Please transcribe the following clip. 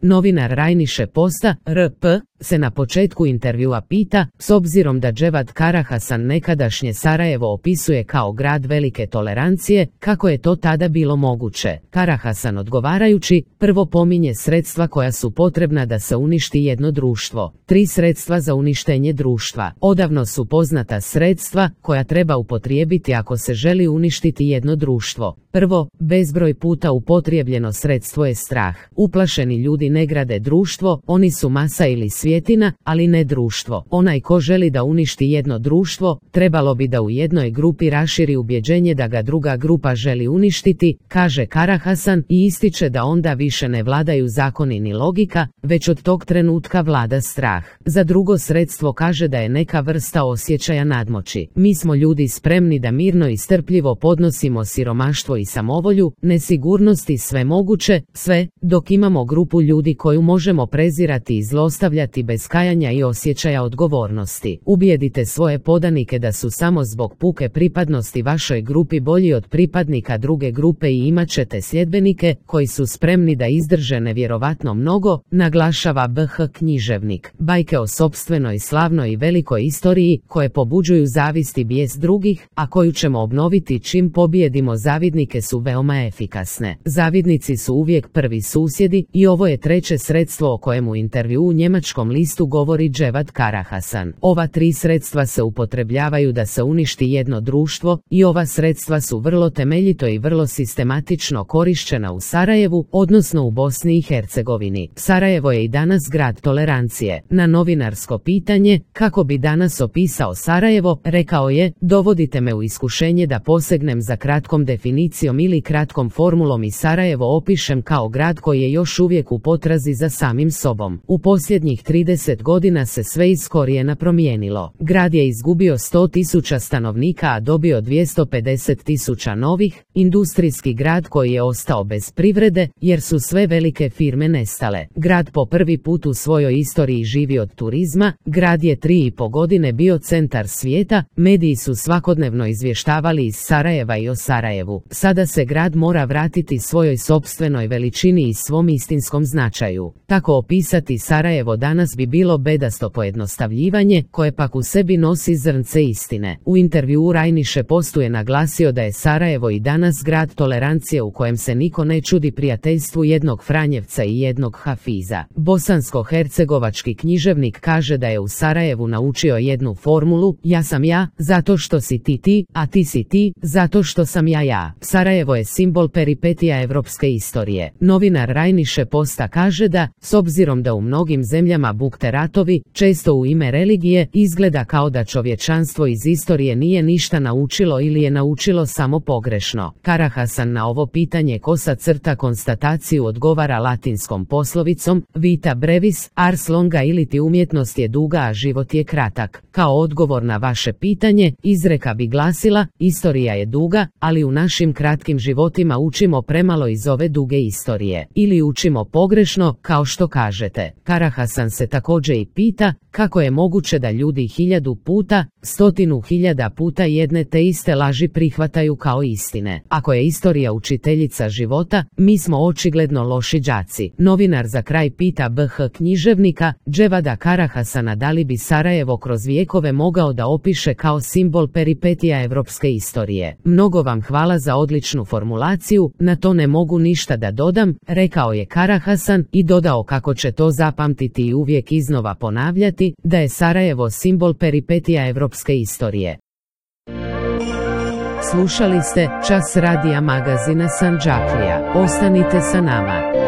Novinar Rajniše Posta, RP, se na početku intervjua pita, s obzirom da Dževad Karahasan nekadašnje Sarajevo opisuje kao grad velike tolerancije, kako je to tada bilo moguće? Karahasan odgovarajući, prvo pominje sredstva koja su potrebna da se uništi jedno društvo. 3 sredstva za uništenje društva. Odavno su poznata sredstva koja treba upotrijebiti ako se želi uništiti jedno društvo. Prvo, bezbroj puta upotrijebljeno sredstvo je strah. Uplašeni ljudi ne grade društvo, oni su masa ili svjetina, ali ne društvo. Onaj ko želi da uništi jedno društvo, trebalo bi da u jednoj grupi raširi ubjeđenje da ga druga grupa želi uništiti, kaže Karahasan i ističe da onda više ne vladaju zakoni ni logika, već od tog trenutka vlada strah. Za drugo sredstvo kaže da je neka vrsta osjećaja nadmoći. Mi smo ljudi spremni da mirno i strpljivo podnosimo siromaštvo i samovolju, nesigurnost i sve moguće, sve, dok imamo grupu ljudi koju možemo prezirati i zlostavljati bez kajanja i osjećaja odgovornosti. Ubijedite svoje podanike da su samo zbog puke pripadnosti vašoj grupi bolji od pripadnika druge grupe i imat ćete sljedbenike koji su spremni da izdrže nevjerovatno mnogo, naglašava BH književnik. Bajke o sopstvenoj slavnoj i velikoj istoriji koje pobuđuju zavist i bijes drugih, a koju ćemo obnoviti čim pobijedimo zavidnike su veoma efikasne. Zavidnici su uvijek prvi susjedi i ovo je treće sredstvo o kojemu u intervju u njemačkom listu govori Dževad Karahasan. Ova 3 sredstva se upotrebljavaju da se uništi jedno društvo i ova sredstva su vrlo temeljito i vrlo sistematično korišćena u Sarajevu, odnosno u Bosni i Hercegovini. Sarajevo je i danas grad tolerancije. Na novinarsko pitanje, kako bi danas opisao Sarajevo, rekao je, dovodite me u iskušenje da posegnem za kratkom definicijom ili kratkom formulom i Sarajevo opišem kao grad koji je još uvijek u potrazi za samim sobom. U posljednjih 30 godina se sve iz korijena promijenilo. Grad je izgubio 100.000 stanovnika, a dobio 250.000 novih, industrijski grad koji je ostao bez privrede, jer su sve velike firme nestale. Grad po prvi put u svojoj istoriji živi od turizma, grad je 3,5 godine bio centar svijeta, mediji su svakodnevno izvještavali iz Sarajeva i o Sarajevu. Sada se grad mora vratiti svojoj sopstvenoj veličini i svom istinskom značaju. Tako opisati Sarajevo danas bi bilo bedasto pojednostavljivanje, koje pak u sebi nosi zrnce istine. U intervjuu Rajniše Postu je naglasio da je Sarajevo i danas grad tolerancije u kojem se niko ne čudi prijateljstvu jednog Franjevca i jednog Hafiza. Bosansko-hercegovački književnik kaže da je u Sarajevu naučio jednu formulu, ja sam ja, zato što si ti ti, a ti si ti, zato što sam ja ja. Sarajevo je simbol peripetija evropske istorije. Novinar Rajniše Posta kaže da, s obzirom da u mnogim zemljama bukte ratovi, često u ime religije, izgleda kao da čovječanstvo iz istorije nije ništa naučilo ili je naučilo samo pogrešno. Karahasan na ovo pitanje kosa crta konstataciju odgovara latinskom poslovicom, vita brevis, ars longa iliti umjetnost je duga a život je kratak. Kao odgovor na vaše pitanje, izreka bi glasila, istorija je duga, ali u našim kratkim životima učimo premalo iz ove duge istorije. Ili učimo pogrešno, kao što kažete. Karahasan se također i pita, kako je moguće da ljudi 1000 puta, 100.000 puta jedne te iste laži prihvataju kao istine. Ako je istorija učiteljica života, mi smo očigledno loši đaci. Novinar za kraj pita BH književnika, Dževada Karahasana da li bi Sarajevo kroz vijekove mogao da opiše kao simbol peripetija evropske istorije. Mnogo vam hvala za odličnu formulaciju, na to ne mogu ništa da dodam, rekao je Karahasan i dodao kako će to zapamtiti i uvijek iznova ponavljati, da je Sarajevo simbol peripetija evropske istorije. Slušali ste Čas radija magazina Sandžaklija. Ostanite sa nama.